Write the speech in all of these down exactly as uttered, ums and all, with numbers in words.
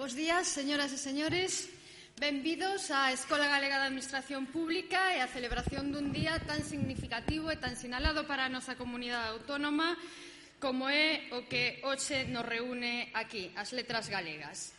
Bos días, señoras e señores. Benvidos á Escola Galega de Administración Pública e á celebración dun día tan significativo e tan sinalado para a nosa comunidade autónoma como é o que hoxe nos reúne aquí, as letras galegas.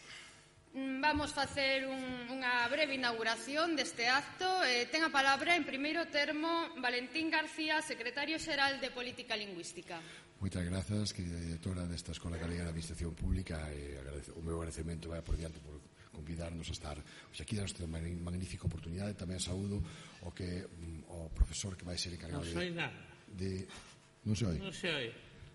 Vamos facer un, unha breve inauguración deste acto. Eh, ten a palabra, en primeiro termo, Valentín García, secretario xeral de Política Lingüística. Moitas grazas, querida directora desta Escola Galega de Administración Pública, e o meu agradecemento vai por diante por convidarnos a estar hoxe aquí nesta magnífica oportunidade. Tamén saúdo o que o profesor que vai ser encargado de... Non sei nada. De... Non se oi? Non se oi.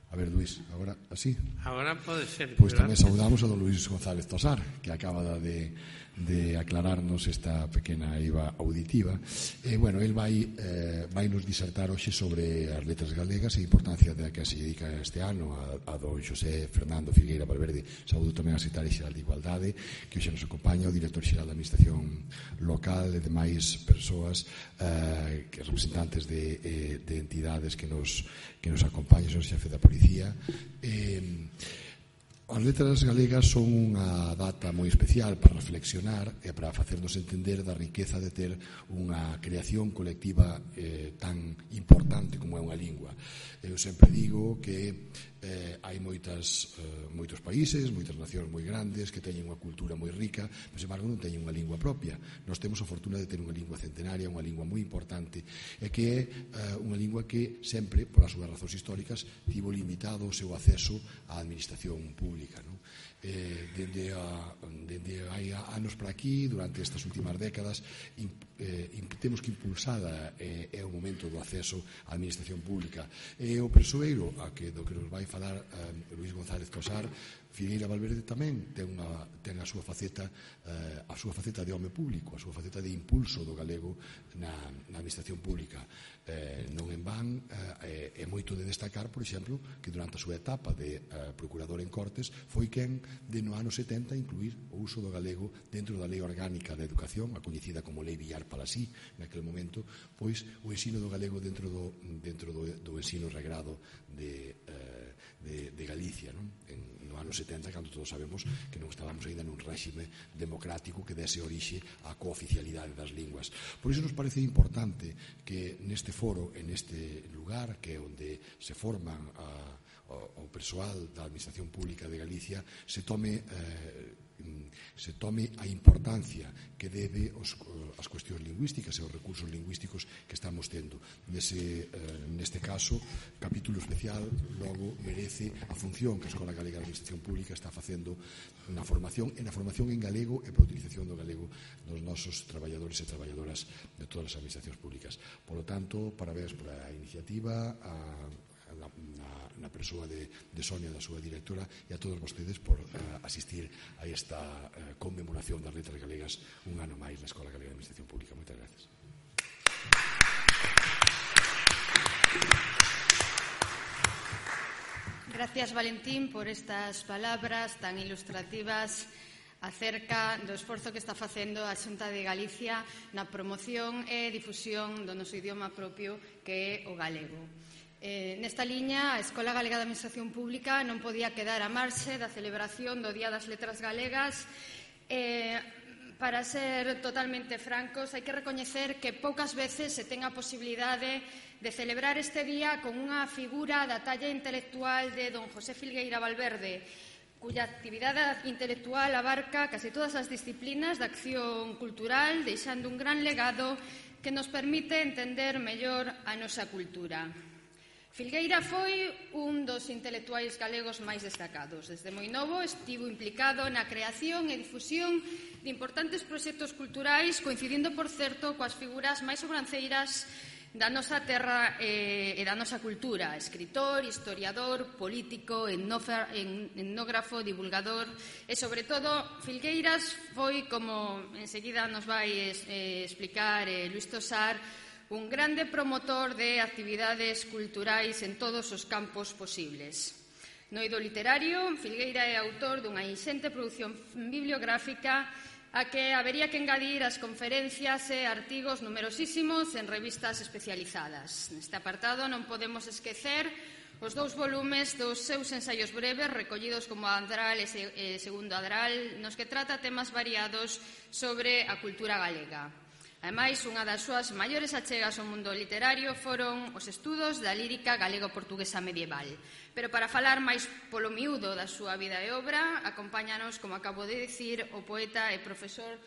A ver, Luís, agora así? Agora pode ser. Pois tamén saudamos a don Luís González Tosar, que acaba de, de aclararnos esta pequena iva auditiva. E, bueno, el vai, eh, vai nos disertar hoxe sobre as letras galegas e a importancia da que se dedica este ano a, a don Xosé Fernando Filgueira Valverde. Saúdo tamén a secretaria xeral de Igualdade, que hoxe nos acompaña, o director xeral da Administración Local e demais persoas, eh, que representantes de, eh, de entidades que nos, que nos acompañan, o xefe da Policía. Eh, as letras galegas son unha data moi especial para reflexionar e para facernos entender da riqueza de ter unha creación colectiva eh, tan importante como é unha lingua. Eu sempre digo que eh, hai moitas, eh, moitos países, moitas nacións moi grandes que teñen unha cultura moi rica, mas, sin embargo, non teñen unha lingua propia. Nós temos a fortuna de ter unha lingua centenaria, unha lingua moi importante, e que é eh, unha lingua que sempre, por as súas razóns históricas, tivo limitado o seu acceso á administración pública, non? Eh, dende, a, dende hai anos para aquí, durante estas últimas décadas, imp, eh, imp, temos que impulsada eh, é o momento do acceso á administración pública. E o persoeiro a que, do que nos vai falar eh, Luís González Tosar, Filgueira Valverde tamén ten, unha, ten a súa faceta eh, a súa faceta de home público, a súa faceta de impulso do galego na, na administración pública. Eh, non en van, eh, é moito de destacar, por exemplo, que durante a súa etapa de eh, procurador en Cortes foi quen de no ano setenta incluir o uso do galego dentro da Lei Orgánica de Educación, a coñecida como Lei Villar Palasí, naquele momento, pois o ensino do galego dentro do, dentro do, do ensino regrado de, eh, de, de Galicia, non? En, no ano setenta, cando todos sabemos que non estábamos ainda nun réxime democrático que dese orixe á cooficialidade das linguas. Por iso nos parece importante que neste foro, en este lugar, que é onde se forman a, o, o persoal da Administración Pública de Galicia, se tome eh, se tome a importancia que debe os, as cuestións lingüísticas e os recursos lingüísticos que estamos tendo. Nese, eh, neste caso, capítulo especial logo merece a función que a Escola Galega de Administración Pública está facendo na formación, e na formación en galego e para a utilización do galego dos nosos traballadores e traballadoras de todas as administracións públicas. Por lo tanto, parabéns pola iniciativa, a Na, na, na persoa de, de Sonia, da súa directora, e a todos vostedes por uh, asistir a esta uh, conmemoración das letras galegas un ano máis na Escola Galega de Administración Pública. Moitas gracias. Gracias, Valentín, por estas palabras tan ilustrativas acerca do esforzo que está facendo a Xunta de Galicia na promoción e difusión do noso idioma propio, que é o galego. Eh, nesta liña, a Escola Galega de Administración Pública non podía quedar a marxe da celebración do Día das Letras Galegas. Eh, para ser totalmente francos, hai que recoñecer que poucas veces se ten a posibilidade de celebrar este día con unha figura da talla intelectual de don José Filgueira Valverde, cuya actividade intelectual abarca case todas as disciplinas da acción cultural, deixando un gran legado que nos permite entender mellor a nosa cultura. Filgueira foi un dos intelectuais galegos máis destacados. Desde moi novo estivo implicado na creación e difusión de importantes proxectos culturais, coincidindo, por certo, coas figuras máis sobranceiras da nosa terra e, e da nosa cultura: escritor, historiador, político, etnógrafo, divulgador e, sobre todo, Filgueiras foi, como enseguida nos vai eh, explicar eh, Luís Tosar, un grande promotor de actividades culturais en todos os campos posibles. No eido literario, Filgueira é autor dunha inxente produción bibliográfica a que habería que engadir as conferencias e artigos numerosísimos en revistas especializadas. Neste apartado non podemos esquecer os dous volumes dos seus ensaios breves recollidos como Adral e Segundo Adral, nos que trata temas variados sobre a cultura galega. Ademais, unha das súas maiores achegas ao mundo literario foron os estudos da lírica galego-portuguesa medieval. Pero para falar máis polo miúdo da súa vida e obra, acompáñanos, como acabo de dicir, o poeta e profesor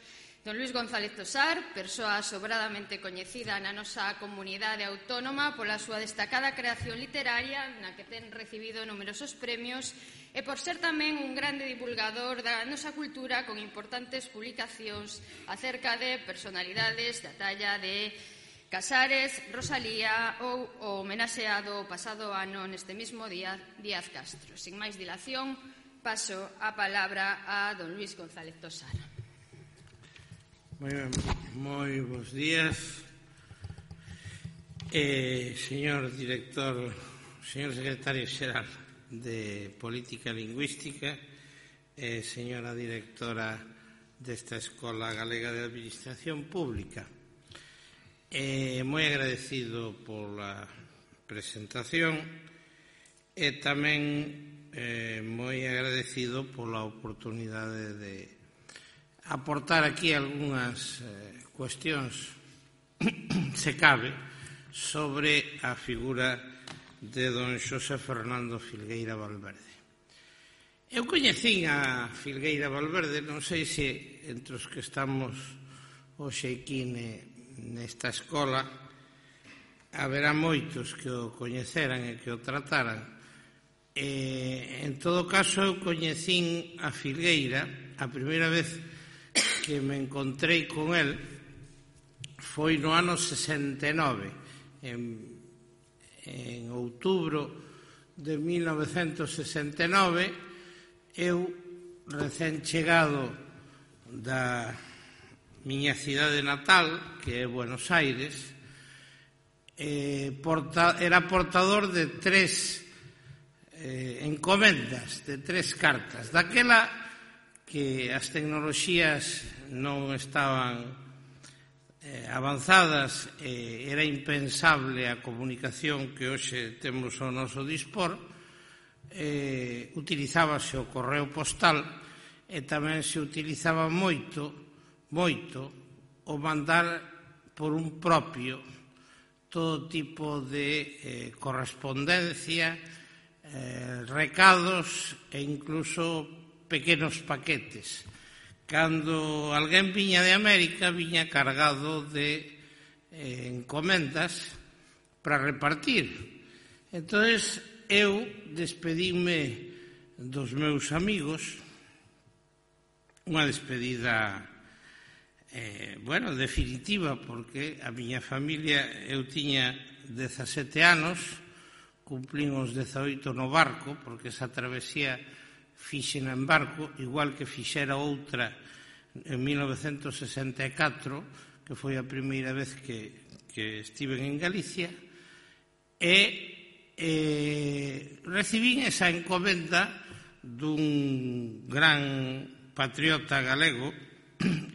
don Luís González Tosar, persoa sobradamente coñecida na nosa comunidade autónoma pola súa destacada creación literaria, na que ten recibido numerosos premios, e por ser tamén un grande divulgador da nosa cultura con importantes publicacións acerca de personalidades da talla de Casares, Rosalía ou o homenaxeado pasado ano neste mismo día Díaz Castro. Sin máis dilación, paso a palabra a don Luís González Tosar. Moi, moi bons días, eh, señor director, señor secretario xeral de Política Lingüística, eh, señora directora desta Escola Galega de Administración Pública. Eh, moi agradecido pola presentación e tamén eh, moi agradecido pola oportunidade de aportar aquí algunhas eh, cuestións, se cabe, sobre a figura de don Xosé Fernando Filgueira Valverde. Eu coñecín a Filgueira Valverde, non sei se entre os que estamos hoxe aquí nesta escola haberá moitos que o coñeceran e que o trataran. E, en todo caso, eu coñecín a Filgueira a primeira vez que me encontrei con el foi no ano sesenta e nove, en, en outubro de mil novecentos sesenta e nove, eu, recén chegado da miña cidade natal, que é Buenos Aires, eh, porta, era portador de tres eh, encomendas, de tres cartas. Daquela que as tecnoloxías non estaban eh, avanzadas, eh, era impensable a comunicación que hoxe temos ao noso dispor, eh, utilizábase o correo postal e tamén se utilizaba moito, moito, o mandar por un propio todo tipo de eh, correspondencia, eh, recados e incluso pequenos paquetes. Cando alguén viña de América, viña cargado de eh, encomendas para repartir. Entonces, eu despedíme dos meus amigos, unha despedida, eh, bueno, definitiva, porque a miña familia, eu tiña dezasete anos, cumplín os dezaoito no barco, porque esa travesía fixen en barco, igual que fixera outra en mil novecentos sesenta e catro, que foi a primeira vez que, que estiven en Galicia, e eh, recibín esa encomenda dun gran patriota galego,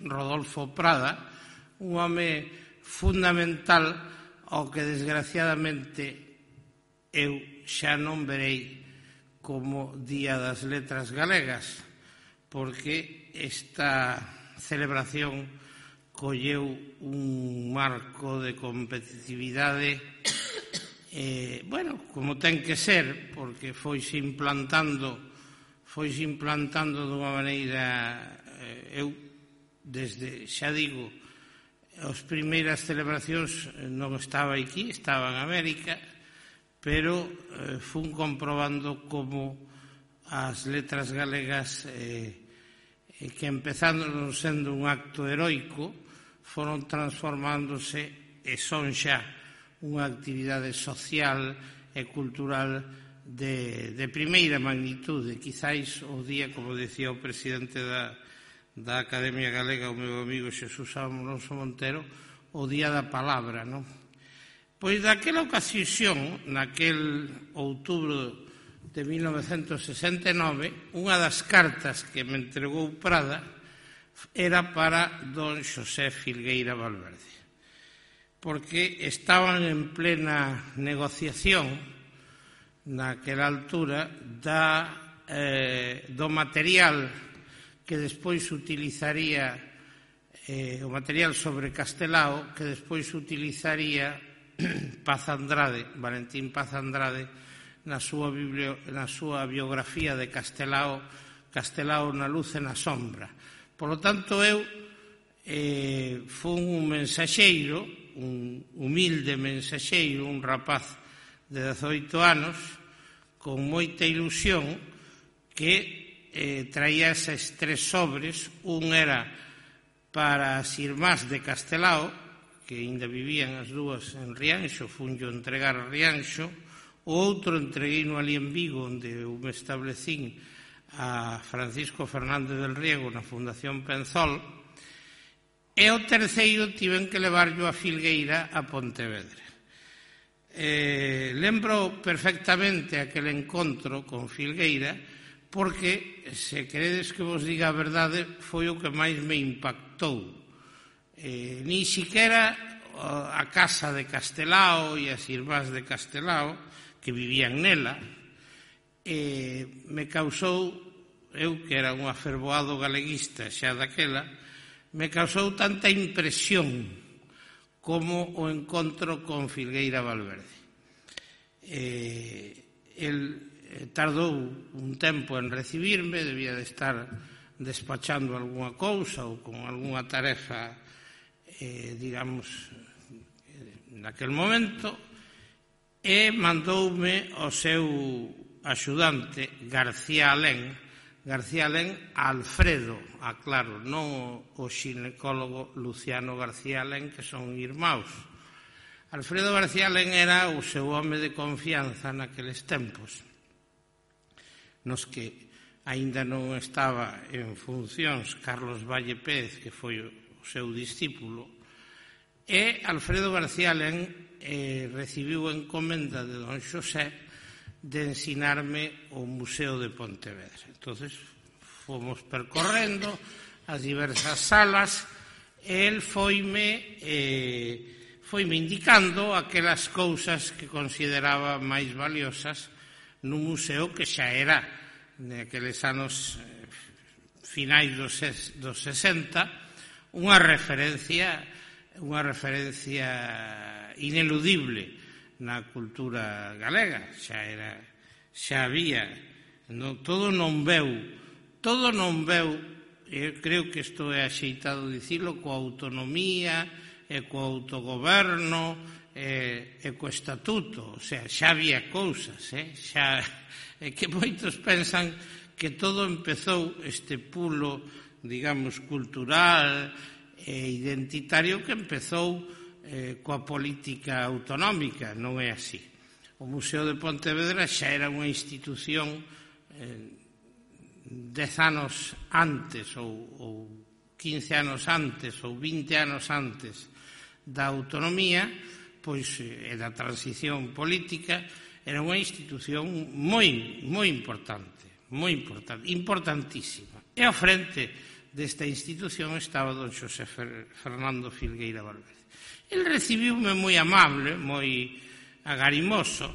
Rodolfo Prada, un home fundamental ao que desgraciadamente eu xa non verei como Día das Letras Galegas, porque esta celebración colleu un marco de competitividade, eh, bueno, como ten que ser, porque foise implantando, foise implantando dunha maneira, eh, eu, desde, xa digo, as primeiras celebracións non estaba aquí, estaba en América, pero eh, fun comprobando como as letras galegas, eh, que empezando non sendo un acto heroico, foron transformándose e son xa unha actividade social e cultural de, de primeira magnitude. Quizáis o día, como decía o presidente da, da Academia Galega, o meu amigo Xesús Alonso Montero, o día da palabra, non? Pois daquela ocasión, naquel outubro de mil novecentos sesenta e nove, unha das cartas que me entregou Prada era para don Xosé Filgueira Valverde, porque estaban en plena negociación naquela altura da, eh, do material que despois utilizaría, eh, o material sobre Castelao, que despois utilizaría Paz Andrade, Valentín Paz Andrade, na súa, biblio, na súa biografía de Castelao, Castelao na luz e na sombra. Por lo tanto, eu eh, fun un mensaxeiro, un humilde mensaxeiro, un rapaz de dezoito anos, con moita ilusión, que eh, traía eses tres sobres. Un era para as irmás de Castelao, que ainda vivían as dúas en Rianxo, funllo entregar a Rianxo. O outro entregueino ali en Vigo, onde eu me establecín, a Francisco Fernández del Riego na Fundación Penzol. E o terceiro tiven que levarlo a Filgueira, a Pontevedra. Eh, lembro perfectamente aquel encontro con Filgueira, porque, se queredes que vos diga a verdade, foi o que máis me impactou. Eh, ni siquiera a casa de Castelao e as irmás de Castelao, que vivían nela, eh, me causou, eu que era un afervoado galeguista xa daquela, me causou tanta impresión como o encontro con Filgueira Valverde. Eh, el tardou un tempo en recibirme, debía de estar despachando algunha cousa ou con algunha tarefa, eh, digamos, naquel momento, e mandoume o seu axudante, García Alén, García Alén Alfredo, aclaro, non o xinecólogo Luciano García Alén, que son irmáus. Alfredo García Alén era o seu home de confianza naqueles tempos, nos que aínda non estaba en funcións Carlos Valle Pérez, que foi o seu discípulo, e Alfredo García Alén eh, recibiu encomenda de don Xosé de ensinarme o Museo de Pontevedra. Entonces fomos percorrendo as diversas salas e el foime, eh, foime indicando aquelas cousas que consideraba máis valiosas nun museo que xa era, naqueles anos eh, finais dos, dos sesenta, unha referencia, unha referencia ineludible na cultura galega. Xa era, xa había, no, todo non veu, todo non veu, eu creo que isto é axeitado dicilo, coa autonomía e co autogoberno e, e co estatuto, o sea, xa había cousas, eh? xa, é que moitos pensan que todo empezou este pulo, digamos, cultural e identitario que empezou eh, coa política autonómica. Non é así. O Museo de Pontevedra xa era unha institución eh, dez anos antes ou, ou quince anos antes ou vinte anos antes da autonomía, pois, e da transición política, era unha institución moi, moi importante, moi importante, importantísima. E ao frente desta institución estaba don Xosé Fernando Filgueira Valverde. El recibiume moi amable, moi agarimoso,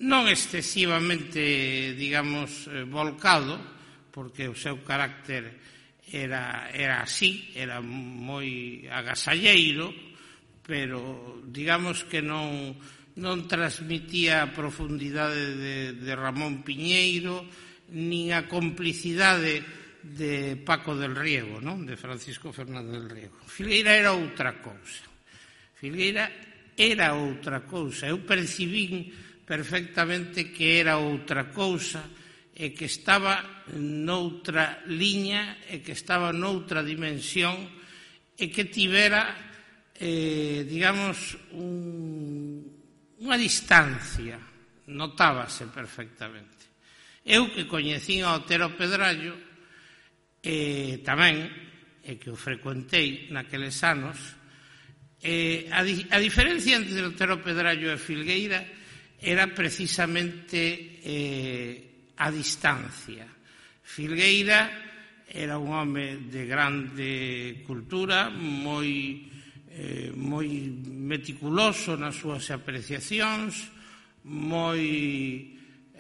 non excesivamente, digamos, volcado, porque o seu carácter era, era así, era moi agasalleiro, pero digamos que non, non transmitía a profundidade de, de Ramón Piñeiro, nin a complicidade de Paco del Riego, non? De Francisco Fernández del Riego. Filgueira era outra cousa. Filgueira era outra cousa. Eu percibín perfectamente que era outra cousa e que estaba noutra liña e que estaba noutra dimensión e que tivera, eh, digamos, un, unha distancia. Notábase perfectamente. Eu que coñecín a Otero Pedrallo, e tamén, e que o frecuentei naqueles anos, Eh, a, di, a diferencia entre Otero Pedrallo e Filgueira era precisamente eh, a distancia. Filgueira era un home de grande cultura, moi, eh, moi meticuloso nas súas apreciacións, moi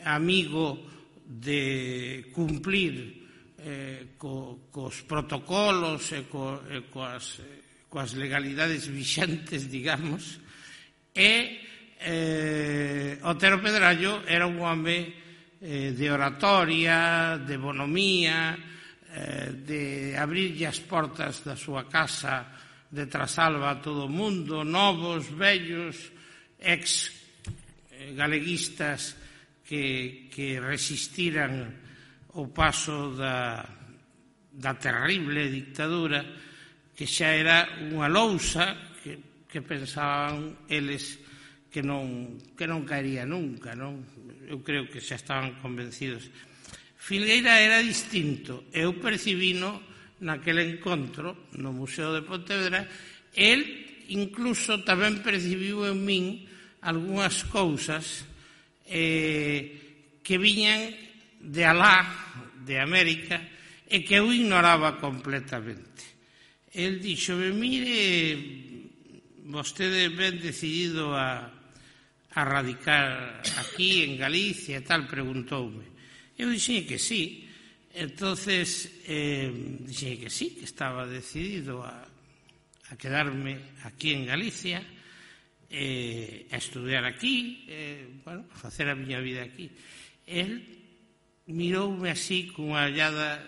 amigo de cumplir eh, co, cos protocolos e, co, e coas, coas legalidades vixentes, digamos, e eh, Otero Pedrallo era un home eh, de oratoria, de bonomía, eh, de abrirlle as portas da súa casa de Trasalba a todo o mundo, novos, vellos, ex galeguistas que, que resistiran o paso da, da terrible dictadura, que xa era unha lousa que, que pensaban eles que non, que non caería nunca, non? Eu creo que xa estaban convencidos. Filgueira era distinto. Eu percibino naquele encontro no Museo de Pontevedra, el incluso tamén percibiu en min algunhas cousas eh, que viñan de alá, de América, e que eu ignoraba completamente. El dixome, mire, vostede ben decidido a, a radicar aquí en Galicia e tal, preguntoume. Eu dixen que sí. Entonces, eh, dixen que sí, que estaba decidido a, a quedarme aquí en Galicia, Eh, a estudiar aquí, eh, bueno, a facer a miña vida aquí. El miroume así cunha ollada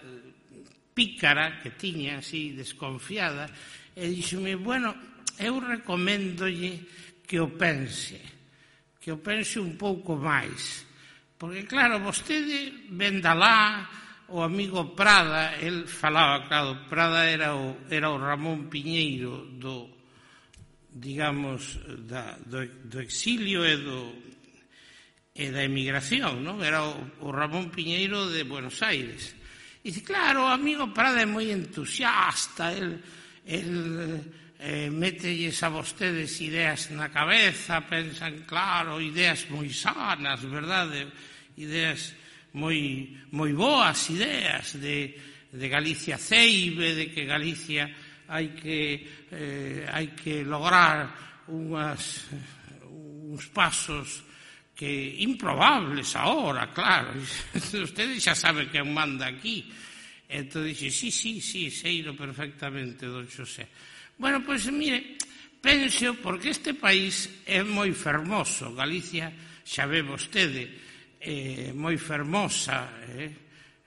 pícara que tiña, así desconfiada, e díxome, bueno, eu recoméndolle que o pense, que o pense un pouco máis, porque claro, vostede ven da lá, o amigo Prada, el falaba, claro, Prada era o, era o Ramón Piñeiro do digamos, da, do, do exilio e, do, e da emigración, non? Era o, o Ramón Piñeiro de Buenos Aires. E dice, claro, o amigo Prada é moi entusiasta, el, el eh, mételles a vostedes ideas na cabeza, pensan, claro, ideas moi sanas, verdade? Ideas moi, moi boas ideas de, de Galicia ceibe, de que Galicia hai que, eh, hai que lograr unhas, uns pasos que improbables ahora, claro. Ustedes xa saben quen manda aquí. Entón dixe, sí, sí, sí, seiro perfectamente, don Xosé. Bueno, pois, mire, penso, porque este país é moi fermoso. Galicia, xa ve vostede, é moi fermosa, eh?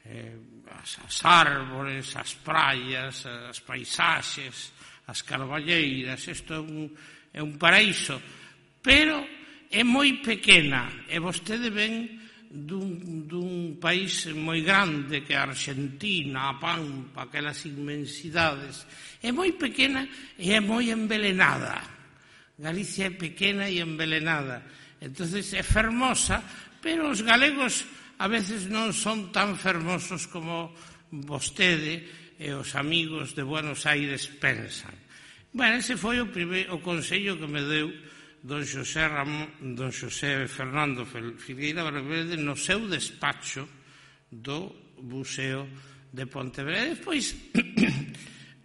eh As, as árbores, as praias, as paisaxes, as carballeiras, isto é un, é un paraíso, pero é moi pequena, e vostede ven dun, dun país moi grande que a Argentina, a Pampa, aquelas inmensidades, é moi pequena e é moi envelenada. Galicia é pequena e envelenada, entonces é fermosa, pero os galegos a veces non son tan fermosos como vostede e os amigos de Buenos Aires pensan. Bueno, ese foi o, primeiro, o consello que me deu don Xosé, Ramón, don Xosé Fernando Filgueira Valverde no seu despacho do Museo de Pontevedra. E despois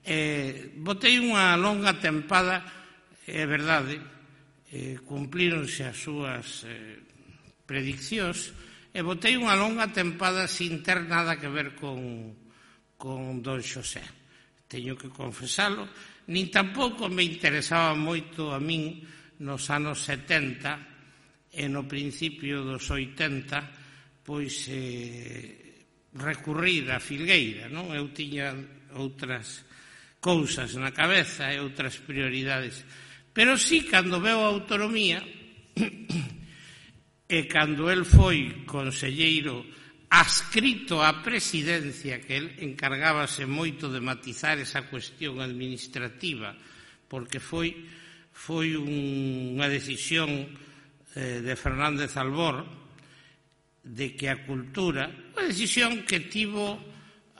eh, botei unha longa tempada, é verdade, eh, cumplíronse as súas eh, prediccións, e botei unha longa tempada sin ter nada que ver con, con don Xosé. Teño que confesalo, nin tampouco me interesaba moito a min nos anos setenta e no principio dos oitenta, pois eh, recurrir a Filgueira, non? Eu tiña outras cousas na cabeza e outras prioridades. Pero sí, cando veo a autonomía, e cando el foi conselleiro adscrito á presidencia, que el encargábase moito de matizar esa cuestión administrativa, porque foi, foi un, unha decisión eh, de Fernández Albor de que a cultura, unha decisión que tivo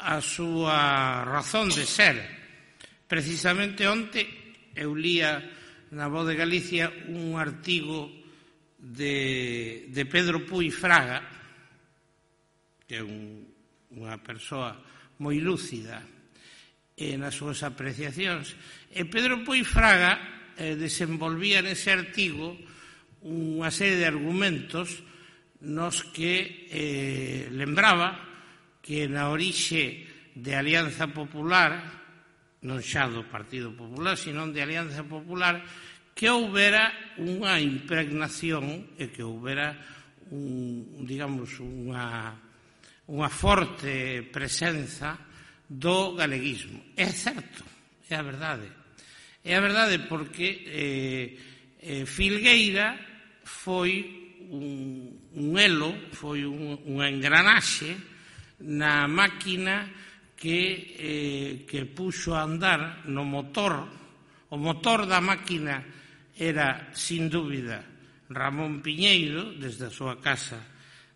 a súa razón de ser. Precisamente onte eu lía na Voz de Galicia un artigo de, de Pedro Puy Fraga, que é un, unha persoa moi lúcida e nas súas apreciacións, e Pedro Puy Fraga eh, desenvolvía nese artigo unha serie de argumentos nos que eh, lembraba que na orixe de Alianza Popular, non xa do Partido Popular, sino de Alianza Popular, que houbera unha impregnación e que houbera un, digamos, unha, unha forte presenza do galeguismo. É certo, é a verdade. É a verdade porque eh, eh, Filgueira foi un, un elo, foi un, unha engranaxe na máquina que, eh, que puxo a andar no motor. O motor da máquina era, sin dúbida, Ramón Piñeiro, desde a súa casa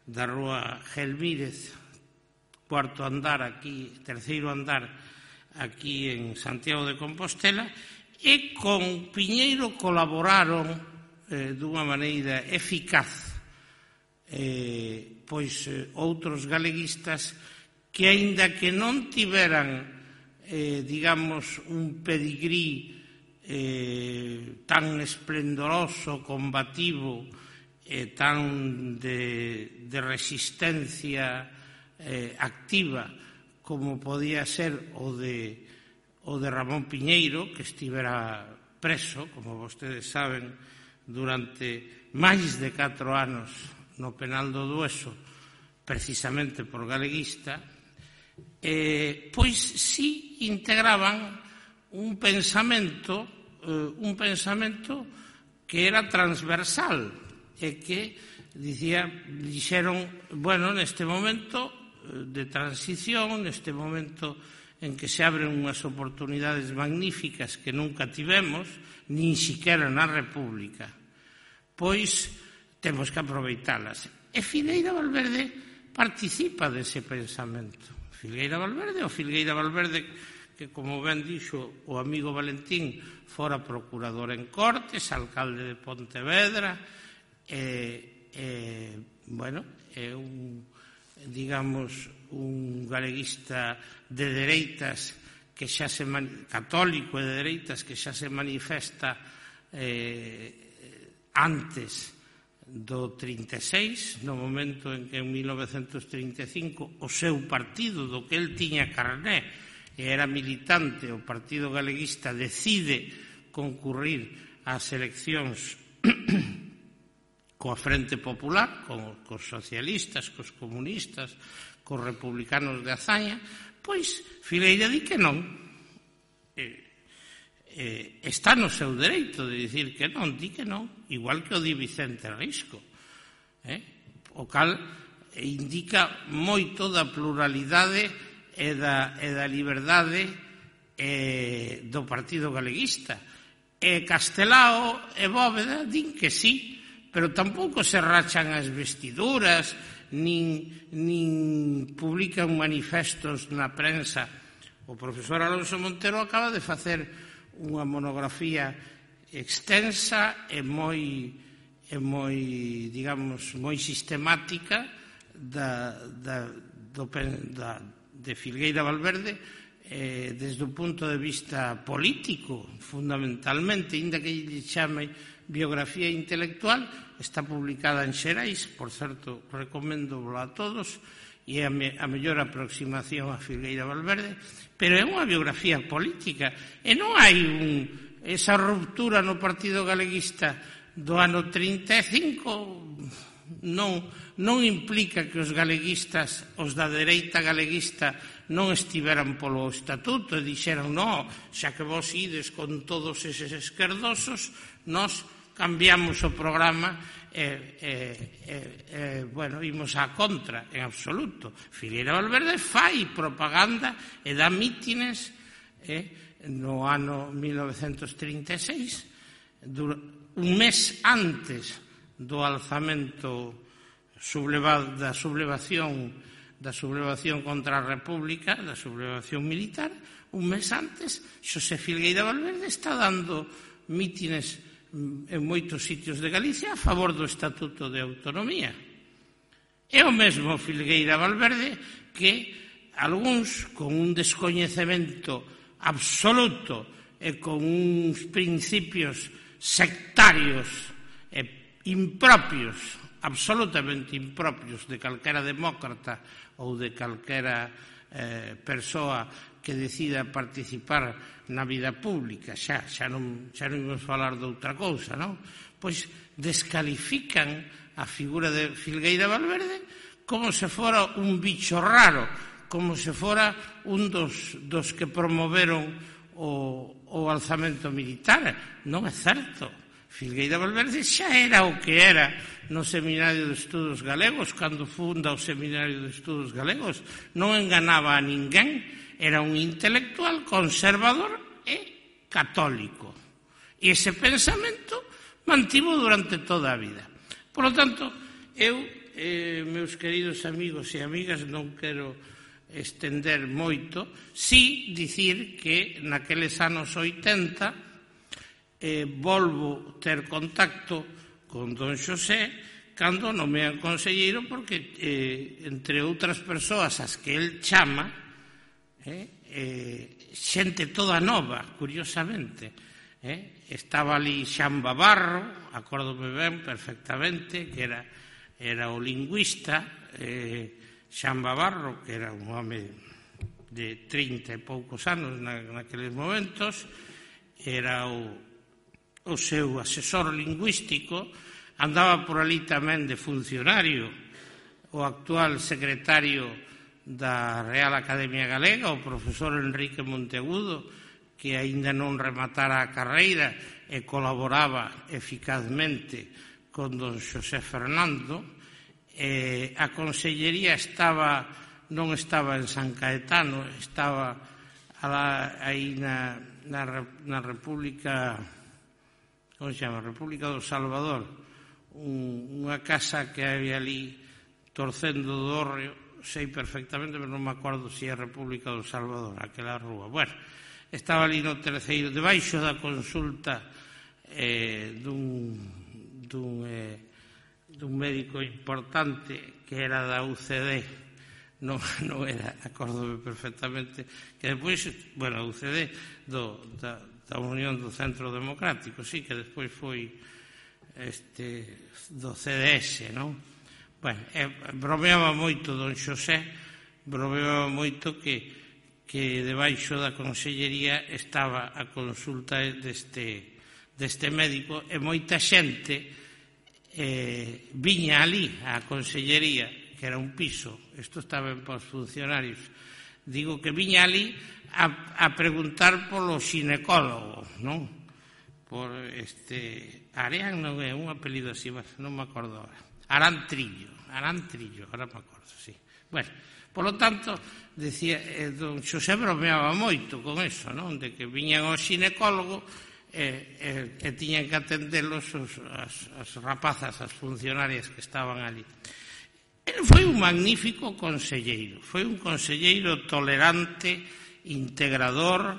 da rúa Gelmírez, cuarto andar aquí, terceiro andar aquí en Santiago de Compostela, e con Piñeiro colaboraron eh, dunha maneira eficaz eh, pois eh, outros galeguistas que, aínda que non tiveran eh, digamos un pedigrí eh, tan esplendoroso, combativo e eh, tan de, de resistencia eh, activa como podía ser o de o de Ramón Piñeiro, que estivera preso, como vostedes saben, durante máis de catro anos no penal do Dueso, precisamente por galeguista, eh, pois si integraban un pensamento, eh, un pensamento que era transversal e que dicía, dixeron, bueno, neste momento de transición, neste momento en que se abren unhas oportunidades magníficas que nunca tivemos, nin siquiera na República, pois temos que aproveitalas. E Filgueira Valverde participa dese pensamento. Filgueira Valverde, o Filgueira Valverde, que, como ben dixo o amigo Valentín, fora procurador en Cortes, alcalde de Pontevedra, e, e bueno, é un, digamos, un galeguista de dereitas que xa se católico e de dereitas que xa se manifesta eh, antes do trinta e seis, no momento en que en mil novecentos trinta e cinco o seu partido, do que el tiña carné e era militante, o Partido Galeguista, decide concurrir ás eleccións coa Frente Popular, con, cos socialistas, cos comunistas, cos republicanos de Azaña, pois Filgueira di que non. Eh, eh, está no seu dereito de dicir que non, di que non, igual que o di Vicente Risco. Eh? O cal indica moito da pluralidade e da, e da liberdade eh, do Partido Galeguista. E Castelao e Bóveda din que sí, pero tampouco se rachan as vestiduras, nin, nin publican manifestos na prensa. O profesor Alonso Montero acaba de facer unha monografía extensa e moi, e moi digamos, moi sistemática da, da, do, da, de Filgueira Valverde eh, desde o punto de vista político, fundamentalmente, inda que lle chame biografía intelectual, está publicada en Xerais, por certo, recomendo a todos, e a, me, a mellor aproximación a Filgueira Valverde, pero é unha biografía política, e non hai un, esa ruptura no Partido Galeguista do ano trinta e cinco, non, non implica que os galeguistas, os da dereita galeguista, non estiveran polo estatuto e dixeran, no, xa que vos ides con todos eses esquerdosos, nós cambiamos o programa e, e, e, e bueno, imos á contra, en absoluto. Filgueira Valverde fai propaganda e dá mítines eh, no ano mil novecentos trinta e seis, un mes antes do alzamento subleva, da sublevación da sublevación contra a República, da sublevación militar, un mes antes, Xosé Filgueira Valverde está dando mítines en moitos sitios de Galicia a favor do Estatuto de Autonomía. É o mesmo Filgueira Valverde que algúns, con un descoñecemento absoluto e con uns principios sectarios e impropios absolutamente impropios de calquera demócrata ou de calquera eh, persoa que decida participar na vida pública, xa, xa non, xa non imos falar de outra cousa, non? Pois descalifican a figura de Filgueira Valverde como se fora un bicho raro, como se fora un dos, dos que promoveron o, o alzamento militar. Non é certo. Filgueira Valverde xa era o que era no Seminario de Estudos Galegos, cando funda o Seminario de Estudos Galegos. Non enganaba a ninguén, era un intelectual conservador e católico. E ese pensamento mantivo durante toda a vida. Por lo tanto, eu, eh, meus queridos amigos e amigas, non quero estender moito, si dicir que naqueles anos oitenta eh, volvo ter contacto con don Xosé cando nomean conselleiro, porque eh, entre outras persoas as que el chama eh, eh, xente toda nova, curiosamente, eh, estaba ali Xan Babarro, acórdome ben perfectamente, que era, era o lingüista, eh, Xan Babarro, que era un home de trinta e poucos anos na, naqueles momentos, era o o seu asesor lingüístico, andaba por ali tamén de funcionario o actual secretario da Real Academia Galega, o profesor Enrique Monteagudo, que aínda non rematara a carreira e colaboraba eficazmente con don Xosé Fernando. Eh, a consellería estaba, non estaba en San Caetano, estaba aí na, na, na República... como se chama? República do Salvador, un, unha casa que había ali torcendo do Hórreo, sei perfectamente, pero non me acordo se é República do Salvador, aquela rúa. Bueno, estaba ali no terceiro, debaixo da consulta eh, dun, dun, eh, dun médico importante que era da U C D, non, non era, acórdome perfectamente, que depois, bueno, a U C D do, da, da Unión do Centro Democrático, sí, que despois foi este, do C D S, non? Bueno, eh, bromeaba moito don Xosé, bromeaba moito que, que debaixo da consellería estaba a consulta deste, deste médico, e moita xente eh, viña ali á consellería, que era un piso, isto estaba en posfuncionarios, digo que viña ali a, a preguntar polo xinecólogo, non? Por este... Arean non é un apelido así, non me acordo ahora. Arán Trillo, Arán Trillo, ahora me acordo, sí. Bueno, polo tanto, decía, eh, don Xosé bromeaba moito con eso, non? De que viñan ao xinecólogo e, e, e tiñan que atendelos os, as, as rapazas, as funcionarias que estaban ali. Ele foi un magnífico conselleiro, foi un conselleiro tolerante, integrador,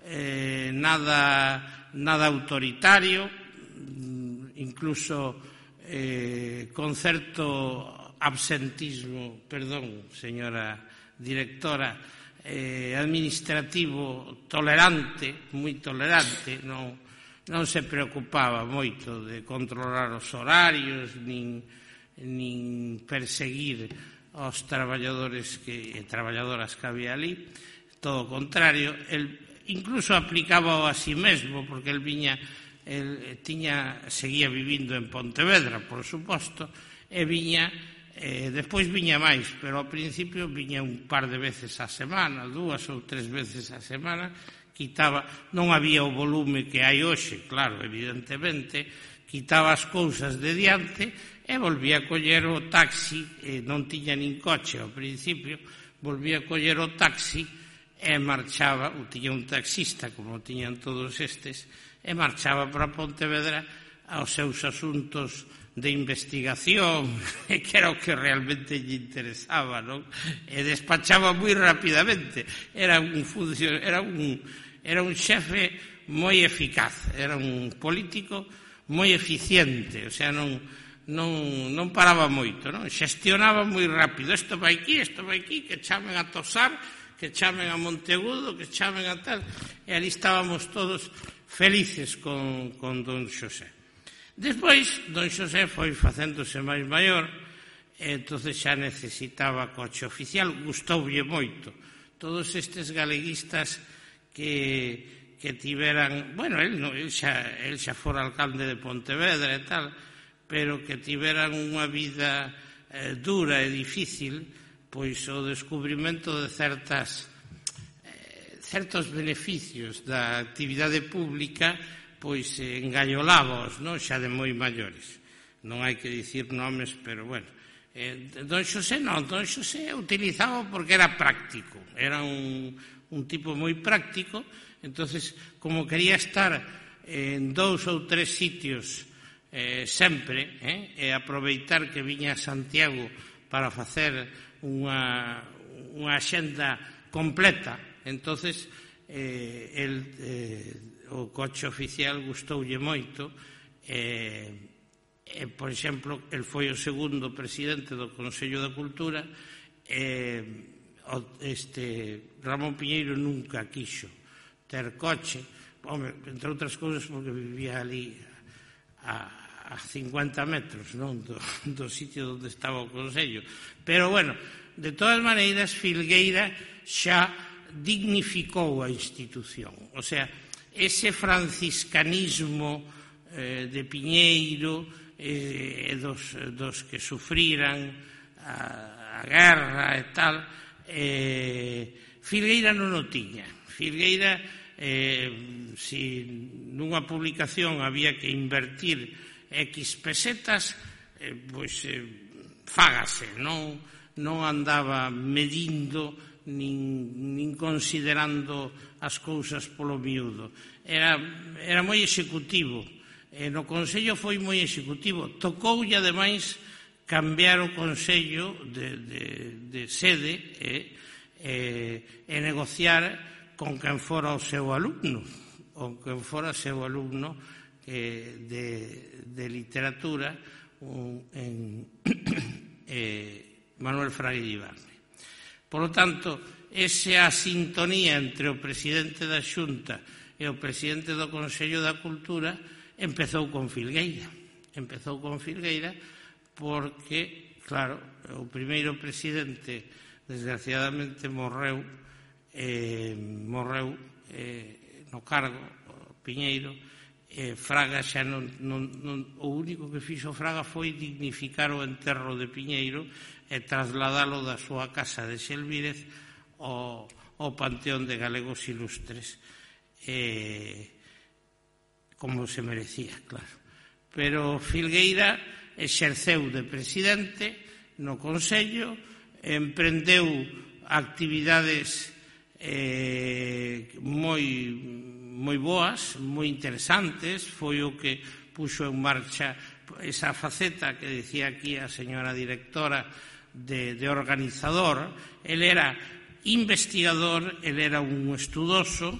eh, nada, nada autoritario, incluso eh, con certo absentismo, perdón, señora directora, eh, administrativo tolerante, moi tolerante, non, non se preocupaba moito de controlar os horarios, nin, nin perseguir aos traballadores que, e traballadoras que había ali, todo o contrario, el incluso aplicaba a sí mesmo, porque el viña, el tiña, seguía vivindo en Pontevedra, por suposto, e viña, eh, despois viña máis, pero ao principio viña un par de veces a semana, dúas ou tres veces a semana, quitaba, non había o volume que hai hoxe, claro, evidentemente, quitaba as cousas de diante e volvía a coller o taxi, e non tiña nin coche ao principio, volvía a coller o taxi e marchaba, ou tiña un taxista, como tiñan todos estes, e marchaba para Pontevedra aos seus asuntos de investigación, que era o que realmente lle interesaba, non? E despachaba moi rapidamente. Era un función, era un, era un xefe moi eficaz, era un político moi eficiente, o sea, non, non, non paraba moito, non? Xestionaba moi rápido, isto vai aquí, isto vai aquí, que chamen a Tosar, que chamen a Monteagudo, que chamen a tal, e ali estábamos todos felices con, con don Xosé. Despois, don Xosé foi facéndose máis maior, e entonces xa necesitaba coche oficial, gustoulle moito. Todos estes galeguistas que, que tiveran, bueno, el, no, el, xa, el xa fora alcalde de Pontevedra e tal, pero que tiveran unha vida eh, dura e difícil, pois o descubrimento de certas eh, certos beneficios da actividade pública pois eh, engallolábaos, non? Xa de moi maiores. Non hai que dicir nomes, pero bueno. Eh, don Xosé non, don Xosé utilizaba porque era práctico, era un, un tipo moi práctico, entonces como quería estar en dous ou tres sitios eh, sempre, eh, e aproveitar que viña a Santiago para facer unha, unha axenda completa, entonces eh, el, eh, o coche oficial gustoulle moito, e eh, por exemplo, el foi o segundo presidente do Consello da Cultura, e este Ramón Piñeiro nunca quixo ter coche, home, entre outras cousas porque vivía ali a a cincuenta metros, non, do, do sitio onde estaba o Consello. Pero, bueno, de todas maneiras, Filgueira xa dignificou a institución. O sea, ese franciscanismo eh, de Piñeiro e eh, dos, dos que sufriran a, a guerra e tal, eh, Filgueira non o tiña. Filgueira, eh, si nunha publicación había que invertir X pesetas, eh, pois eh, fágase, non, non andaba medindo nin, nin considerando as cousas polo miúdo. Era, era moi executivo, e no Consello foi moi executivo. Tocoulle, ademais, cambiar o Consello de, de, de sede e, e, e negociar con quen fora o seu alumno, ou quen fora o seu alumno De, de literatura un, en eh, Manuel Fraga Iribarne. Por lo tanto, esa sintonía entre o presidente da Xunta e o presidente do Consello da Cultura empezou con Filgueira. Empezou con Filgueira porque, claro, o primeiro presidente desgraciadamente morreu eh, morreu eh, no cargo, Piñeiro. Eh, Fraga xa non, non, non, o único que fixo Fraga foi dignificar o enterro de Piñeiro e trasladalo da súa casa de Xelvírez ao, ao Panteón de Galegos Ilustres, eh, como se merecía, claro. Pero Filgueira exerceu de presidente no Consello, emprendeu actividades eh, moi moi boas, moi interesantes, foi o que puxo en marcha esa faceta que decía aquí a señora directora de, de organizador. El era investigador, el era un estudoso,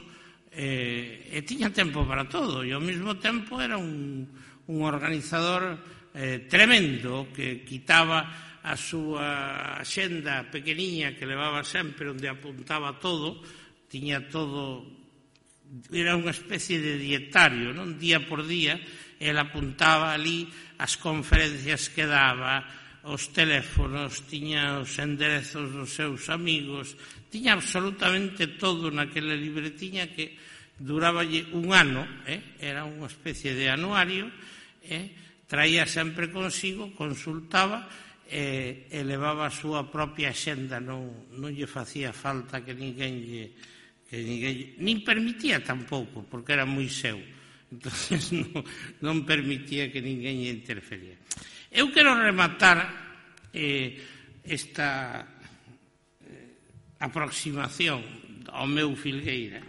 eh, e tiña tempo para todo, e ao mesmo tempo era un, un organizador eh, tremendo, que quitaba a súa axenda pequeniña que levaba sempre, onde apuntaba todo, tiña todo. Era unha especie de dietario, non? Día por día, el apuntaba ali as conferencias que daba, os teléfonos, tiña os enderezos dos seus amigos, tiña absolutamente todo naquela libretiña que duraba un ano, eh? Era unha especie de anuario, eh? Traía sempre consigo, consultaba e, e levaba a súa propia axenda, non, non lle facía falta que ninguén lle que ninguén, nin permitía tampouco, porque era moi seu, entonces non, non permitía que ninguén lle interfería. Eu quero rematar eh, esta eh, aproximación ao meu Filgueira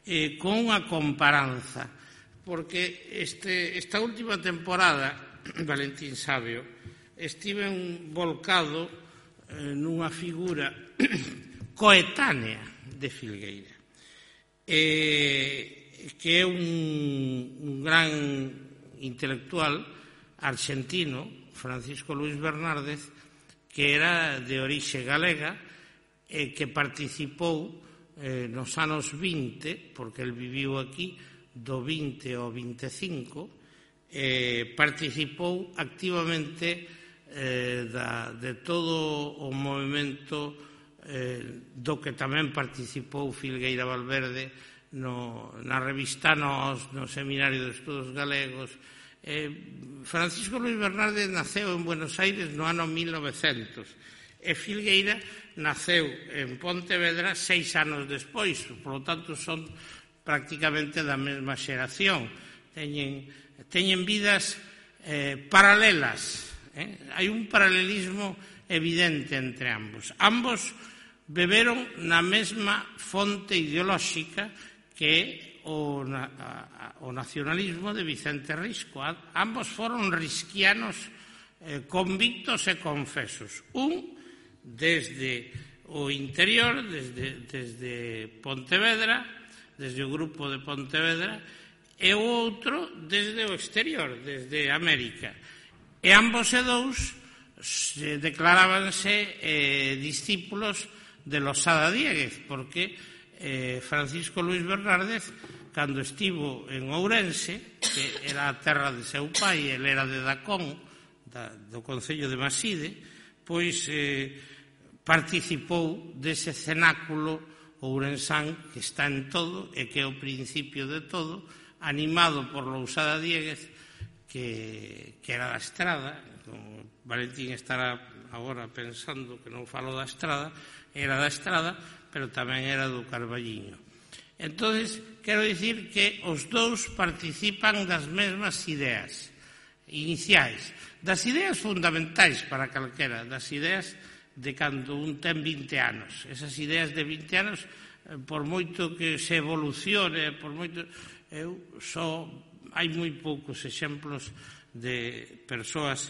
eh, con unha comparanza, porque este, esta última temporada, Valentín Sabio, estive volcado eh, nunha figura coetánea de Filgueira, eh, que é un, un gran intelectual argentino, Francisco Luis Bernárdez, que era de orixe galega e que participou eh, nos anos vinte, porque el viviu aquí do vinte ao vinte e cinco, eh, participou activamente eh, da, de todo o movimento eh, do que tamén participou Filgueira Valverde no, na revista Nós, no Seminario de Estudos Galegos. Eh, Francisco Luis Bernárdez naceu en Buenos Aires no ano mil novecentos e Filgueira naceu en Pontevedra seis anos despois, por lo tanto son prácticamente da mesma xeración, teñen, teñen vidas eh, paralelas, eh? Hai un paralelismo evidente entre ambos. Ambos beberon na mesma fonte ideolóxica que é o, na, o nacionalismo de Vicente Risco. Ambos foron risquianos eh, convictos e confesos. Un desde o interior, desde, desde Pontevedra, desde o grupo de Pontevedra, e o outro desde o exterior, desde América. E ambos e dous declarábanse eh, discípulos de Losada Diéguez, porque eh, Francisco Luis Bernárdez, cando estivo en Ourense, que era a terra de seu pai, ele era de Dacón, da, do concello de Maside, pois eh, participou dese cenáculo ourensán que está en todo e que é o principio de todo, animado por Lousada Diéguez, que, que era da Estrada. Valentín estará agora pensando que non falo da Estrada, era da Estrada, pero tamén era do Carballiño. Entonces, quero dicir que os dous participan das mesmas ideas iniciais, das ideas fundamentais para calquera, das ideas de cando un ten vinte anos. Esas ideas de vinte anos, por moito que se evolucione, por moito, eu só hai moi poucos exemplos de persoas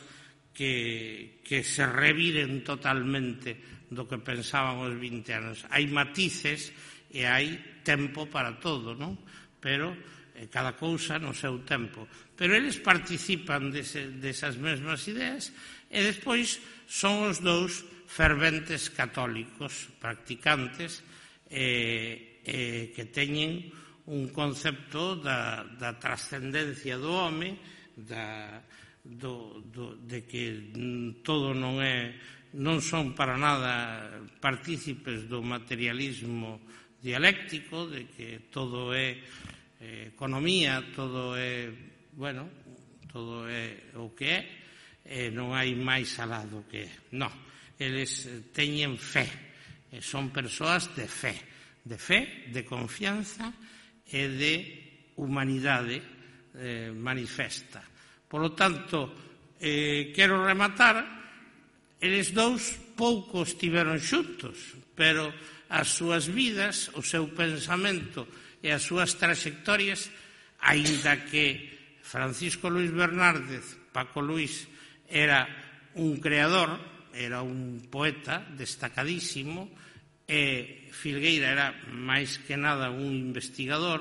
que, que se reviren totalmente do que pensaban os vinte anos. Hai matices e hai tempo para todo, non? Pero eh, cada cousa no seu tempo. Pero eles participan dese, desas mesmas ideas e despois son os dous ferventes católicos, practicantes, eh, eh, que teñen un concepto da, da trascendencia do home, da, do, do, de que todo non é, non son para nada partícipes do materialismo dialéctico, de que todo é eh, economía, todo é, bueno, todo é o que é, e non hai máis alá do que é. Non, eles teñen fe, e son persoas de fe, de fe, de confianza e de humanidade eh, manifesta. Por lo tanto, eh, quero rematar, eles dous pouco estiveron xuntos, pero as súas vidas, o seu pensamento e as súas trayectorias, aínda que Francisco Luis Bernárdez, Paco Luis, era un creador, era un poeta destacadísimo, e Filgueira era máis que nada un investigador,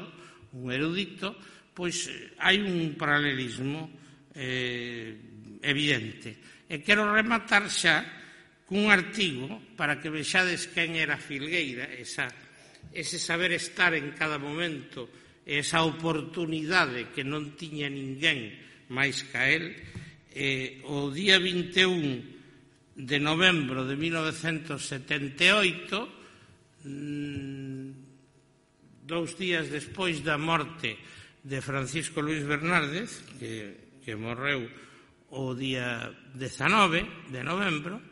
un erudito, pois hai un paralelismo eh, evidente. E quero rematar xa cun artigo para que vexades quen era Filgueira, esa, ese saber estar en cada momento, esa oportunidade que non tiña ninguén máis ca el. Eh, o día vinte e un de novembro de mil novecentos setenta e oito, dous días despois da morte de Francisco Luis Bernárdez, que, que morreu o día dezanove de novembro,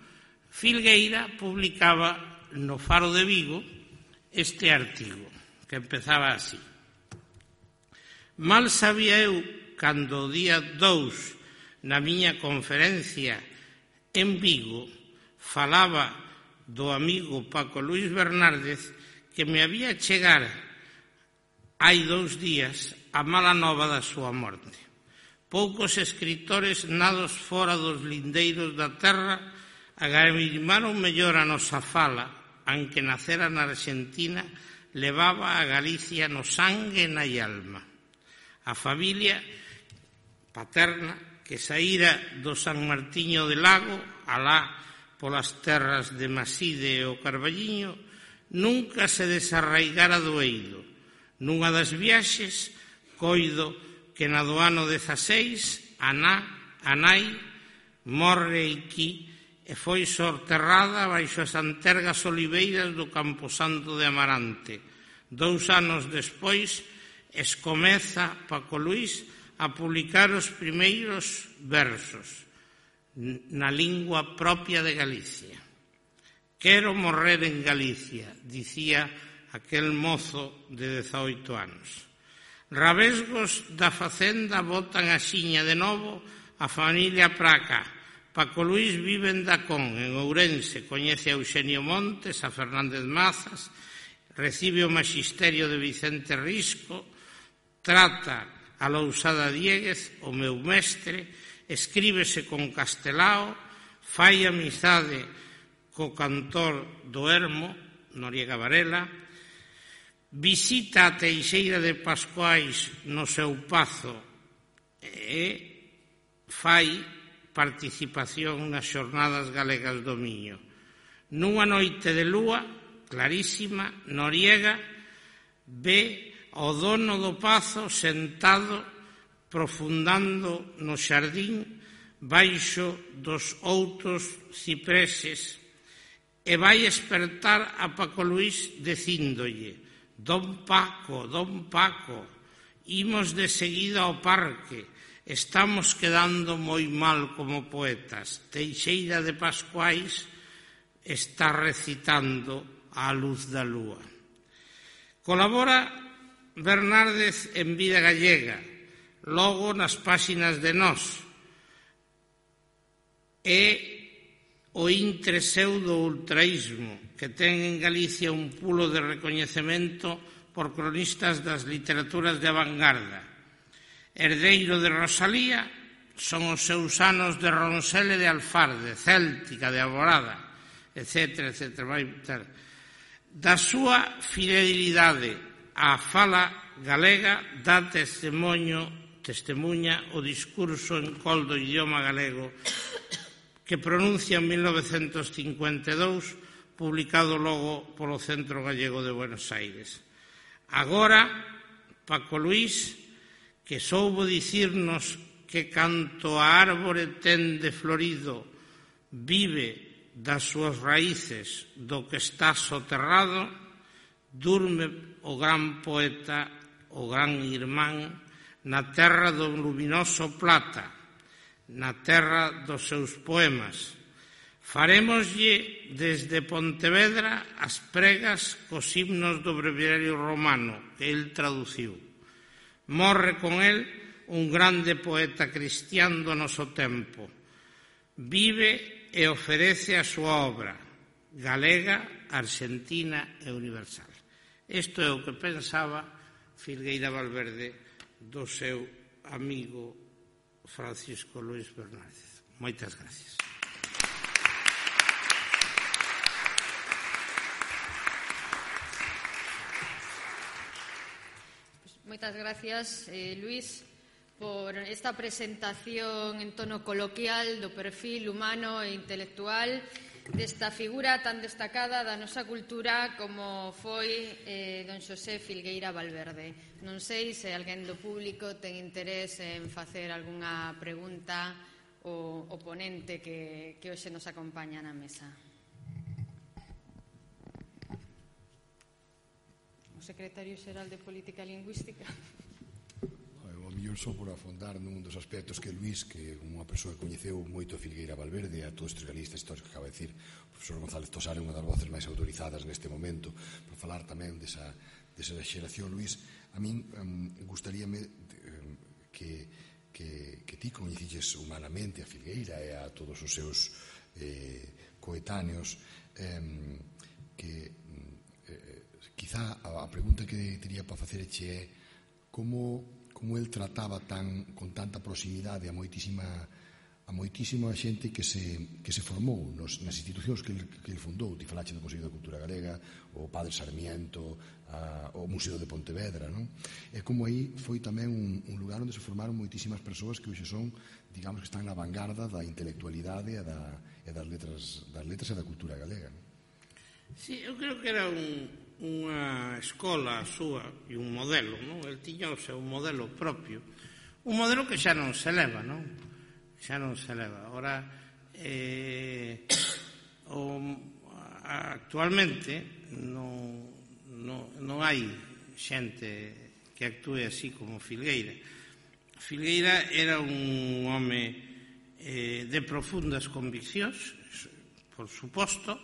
Filgueira publicaba no Faro de Vigo este artigo, que empezaba así: mal sabía eu cando o día dous na miña conferencia en Vigo falaba do amigo Paco Luis Bernárdez que me había chegar hai dous días a mala nova da súa morte. Poucos escritores nados fora dos lindeiros da terra agamimaron mellor a nosa fala, aunque nacera na Argentina, levaba a Galicia no sangue e na alma. A familia paterna que saíra do San Martiño de Lago, alá polas terras de Maside e o Carballiño, nunca se desarraigara do eido. Nunha das viaxes, coido que na do ano dezaseis a nai morre aquí e foi sorterrada baixo as antergas oliveiras do Camposanto de Amarante. Dous anos despois, escomeza Paco Luís a publicar os primeiros versos na lingua propia de Galicia. Quero morrer en Galicia, dicía aquel mozo de dezaoito anos. Rabesgos da facenda botan a xiña de novo a familia Praca. Paco Luís vive en Dacón, en Ourense, coñece a Eugenio Montes, a Fernández Mazas, recibe o maxisterio de Vicente Risco, trata a Lousada Dieguez, o meu mestre, escríbese con Castelao, fai amizade co cantor do Ermo, Noriega Varela, visita a Teixeira de Pascuais no seu pazo e fai participación nas xornadas galegas do Miño. Nunha noite de lúa clarísima, Noriega ve ao dono do pazo sentado profundando no xardín baixo dos outros cipreses e vai espertar a Paco Luís dicíndolle: Don Paco, don Paco, imos de seguida ao parque, estamos quedando moi mal como poetas. Teixeira de Pascuais está recitando á luz da lúa. Colabora Bernárdez en Vida Gallega, logo nas páxinas de Nós, e o intre seu do ultraísmo, que ten en Galicia un pulo de recoñecemento por cronistas das literaturas de vanguarda. Herdeiro de Rosalía son os seus anos de Ronsel e de Alfarde, Céltica, de Alborada, etcétera, etcétera. Vai ter. Da súa fidelidade á fala galega dá testemunho, testemuña o discurso en col do idioma galego que pronuncia en mil novecentos cincuenta e dous, publicado logo polo Centro Gallego de Buenos Aires. Agora, Paco Luís, que soubo dicirnos que canto a árbore ten de florido vive das súas raíces do que está soterrado, durme o gran poeta, o gran irmán, na terra do luminoso Plata, na terra dos seus poemas. Farémoslle desde Pontevedra as pregas cos himnos do breviario romano que el traduciu. Morre con el un grande poeta cristián do noso tempo. Vive e oferece a súa obra, galega, argentina e universal. Isto é o que pensaba Filgueira Valverde do seu amigo Francisco Luís Bernárdez. Moitas gracias. Moitas gracias, eh, Luís, por esta presentación en tono coloquial do perfil humano e intelectual desta figura tan destacada da nosa cultura como foi eh, don Xosé Filgueira Valverde. Non sei se alguén do público ten interés en facer algunha pregunta ao, ao ponente que, que hoxe nos acompaña na mesa. O secretario xeral de Política Lingüística. O mellor só por afondar nun dos aspectos que Luís, que unha persoa que coñeceu moito a Filgueira Valverde, a todos estes galistas históricos que acaba de decir, o profesor González Tosar é unha das voces máis autorizadas neste momento, por falar tamén desa, desa xeración. Luís, a min um, gustaríame um, que, que, que ti coñeciches humanamente a Filgueira e a todos os seus eh, coetáneos, um, que quizá a pregunta que teria para facerche é como, como el trataba tan, con tanta proximidade a moitísima, a moitísima xente que se, que se formou nos, nas institucións que el, que el fundou. Ti falache do Consello da Cultura Galega, o Padre Sarmiento, a, o Museo de Pontevedra, non? E como aí foi tamén un, un lugar onde se formaron moitísimas persoas que hoxe son, digamos, que están na vanguarda da intelectualidade e, da, e das, letras, das letras e da cultura galega, non? Sí, eu creo que era un, unha escola súa e un modelo, non? El tiña o seu modelo propio, Un modelo que xa non se leva, non? Xa non se leva. Ora, eh, o, actualmente non, non, non hai xente que actúe así como Filgueira. Filgueira era un home eh, de profundas conviccións, por suposto,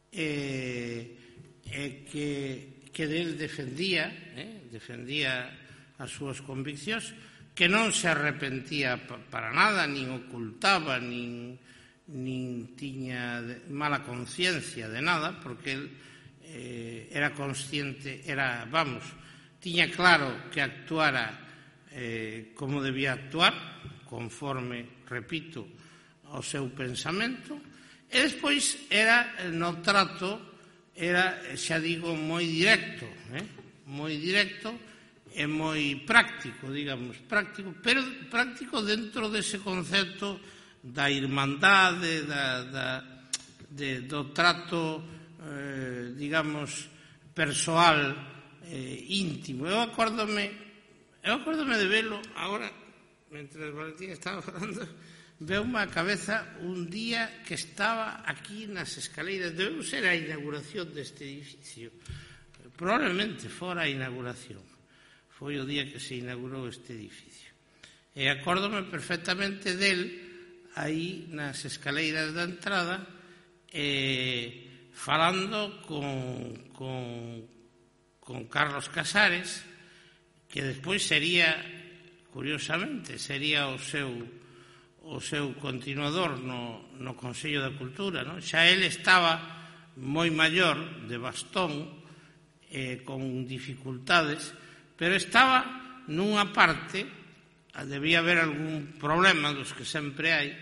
e eh, que, que del defendía, eh, defendía as súas conviccións, que non se arrepentía para nada, nin ocultaba, nin, nin tiña mala conciencia de nada, porque él eh, era consciente, era, vamos, tiña claro que actuara eh, como debía actuar, conforme, repito, ao seu pensamento, e despois era no trato, era, xa digo, moi directo, eh? moi directo, é moi práctico, digamos, práctico, pero práctico dentro dese concepto da irmandade, da, da, de, do trato, eh, digamos, persoal, eh, íntimo. Eu acórdome, eu acórdome de velo, agora, mentre Valentín estaba falando, veume a cabeza un día que estaba aquí nas escaleiras, debeu ser a inauguración deste edificio, probablemente fora a inauguración. Foi o día que se inaugurou este edificio. E acórdome perfectamente del aí nas escaleiras da entrada eh, falando con, con, con Carlos Casares, que despois sería, curiosamente, sería o seu, o seu continuador no, no Consello da Cultura, non? Xa el estaba moi maior, de bastón, eh, con dificultades, pero estaba nunha parte, debía haber algún problema dos que sempre hai,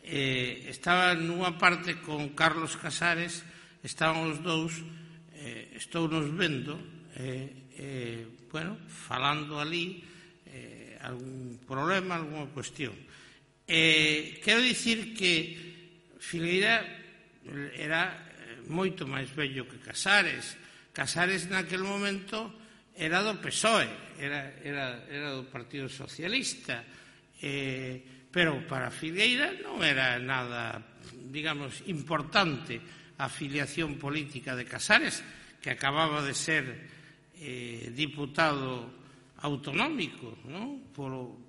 eh, estaba nunha parte con Carlos Casares, estaban os dous, eh, estou nos vendo, eh, eh, bueno, falando ali, eh, algún problema, algunha cuestión. Eh, quero dicir que Filgueira era moito máis vello que Casares. Casares naquele momento era do P S O E, era, era, era do Partido Socialista, eh, pero para Filgueira non era nada, digamos, importante a afiliación política de Casares, que acababa de ser eh, diputado autonómico, non? Polo,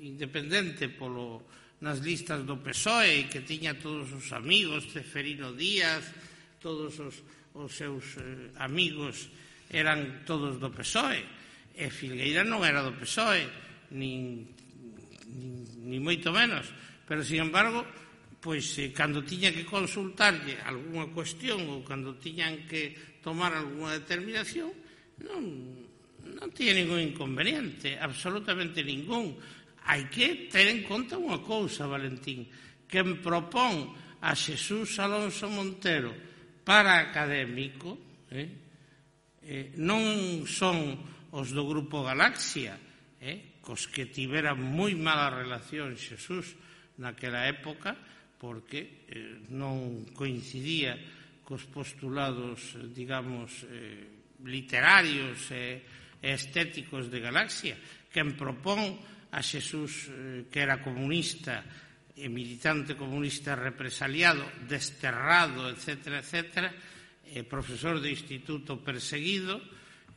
independente polo, nas listas do P S O E, e que tiña todos os amigos, Ceferino Díaz, todos os, os seus eh, amigos eran todos do P S O E, e Filgueira non era do P S O E, nin, nin, nin moito menos, pero, sin embargo, pois, eh, cando tiña que consultarlle algunha cuestión ou cando tiñan que tomar algunha determinación, non, non tiña ningún inconveniente, absolutamente ningún. Hai que ter en conta unha cousa, Valentín, quen propón a Xesús Alonso Montero para académico, eh, Eh, non son os do Grupo Galaxia, eh, cos que tivera moi mala relación Xesús naquela época, porque eh, non coincidía cos postulados, digamos, eh, literarios e eh, estéticos de Galaxia. Quen propón a Xesús, eh, que era comunista e militante comunista represaliado, desterrado, etcétera, etcétera, eh, profesor de instituto perseguido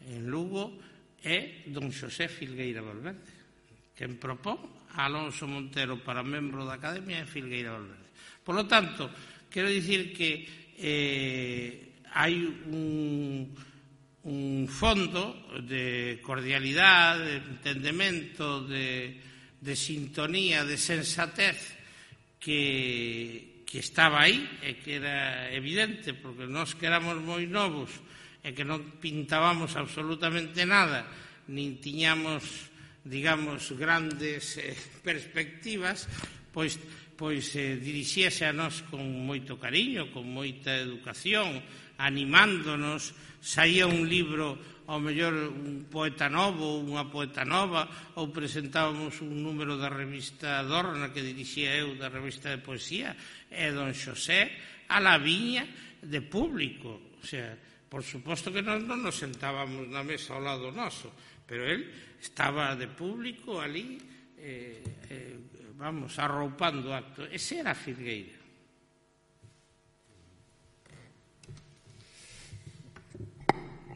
en Lugo, é don Xosé Filgueira Valverde, quen propón a Alonso Montero para membro da Academia de Filgueira Valverde. Por lo tanto, quero dicir que eh, hai un, un fondo de cordialidade, de entendemento, de, de sintonía, de sensatez que que estaba aí e que era evidente, porque nós que éramos moi novos e que non pintábamos absolutamente nada, nin tiñamos, digamos, grandes eh, perspectivas, pois, pois eh, dirixíase a nós con moito cariño, con moita educación, animándonos, saía un libro, ao mellor un poeta novo, unha poeta nova, ou presentábamos un número da revista Dorna que dirixía eu, da revista de poesía, e don Xosé a la viña de público. O sea, por suposto que nós non nos sentábamos na mesa ao lado noso, pero él estaba de público ali, eh, eh, vamos, arroupando acto. Ese era Filgueira.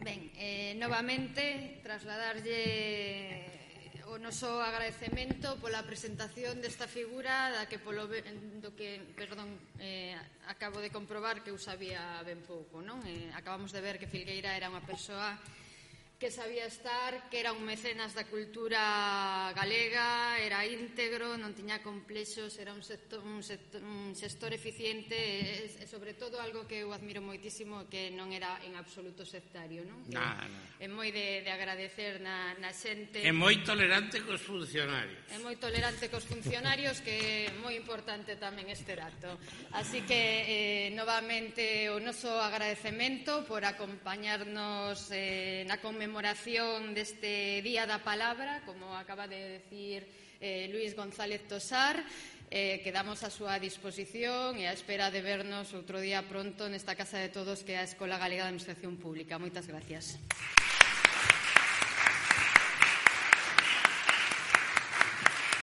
Ben, eh, novamente, trasladarlle o noso agradecemento pola presentación desta figura da que polo do que, perdón, eh, acabo de comprobar que eu sabía ben pouco, non? Eh, acabamos de ver que Filgueira era unha persoa que sabía estar, que era un mecenas da cultura galega, era íntegro, non tiña complexos, era un, sector, un, sector, un xestor eficiente e, e, sobre todo, algo que eu admiro moitísimo, que non era en absoluto sectario, non? Que Nah, nah. é moi de, de agradecer na, na xente. É moi tolerante cos funcionarios. É moi tolerante cos funcionarios, que é moi importante tamén este dato. Así que, eh, novamente, o noso agradecemento por acompañarnos eh, na conmemoración deste Día da Palabra, como acaba de decir eh, Luís González Tosar. Eh, quedamos a súa disposición e a espera de vernos outro día pronto nesta Casa de Todos, que é a Escola Galega de Administración Pública. Moitas gracias.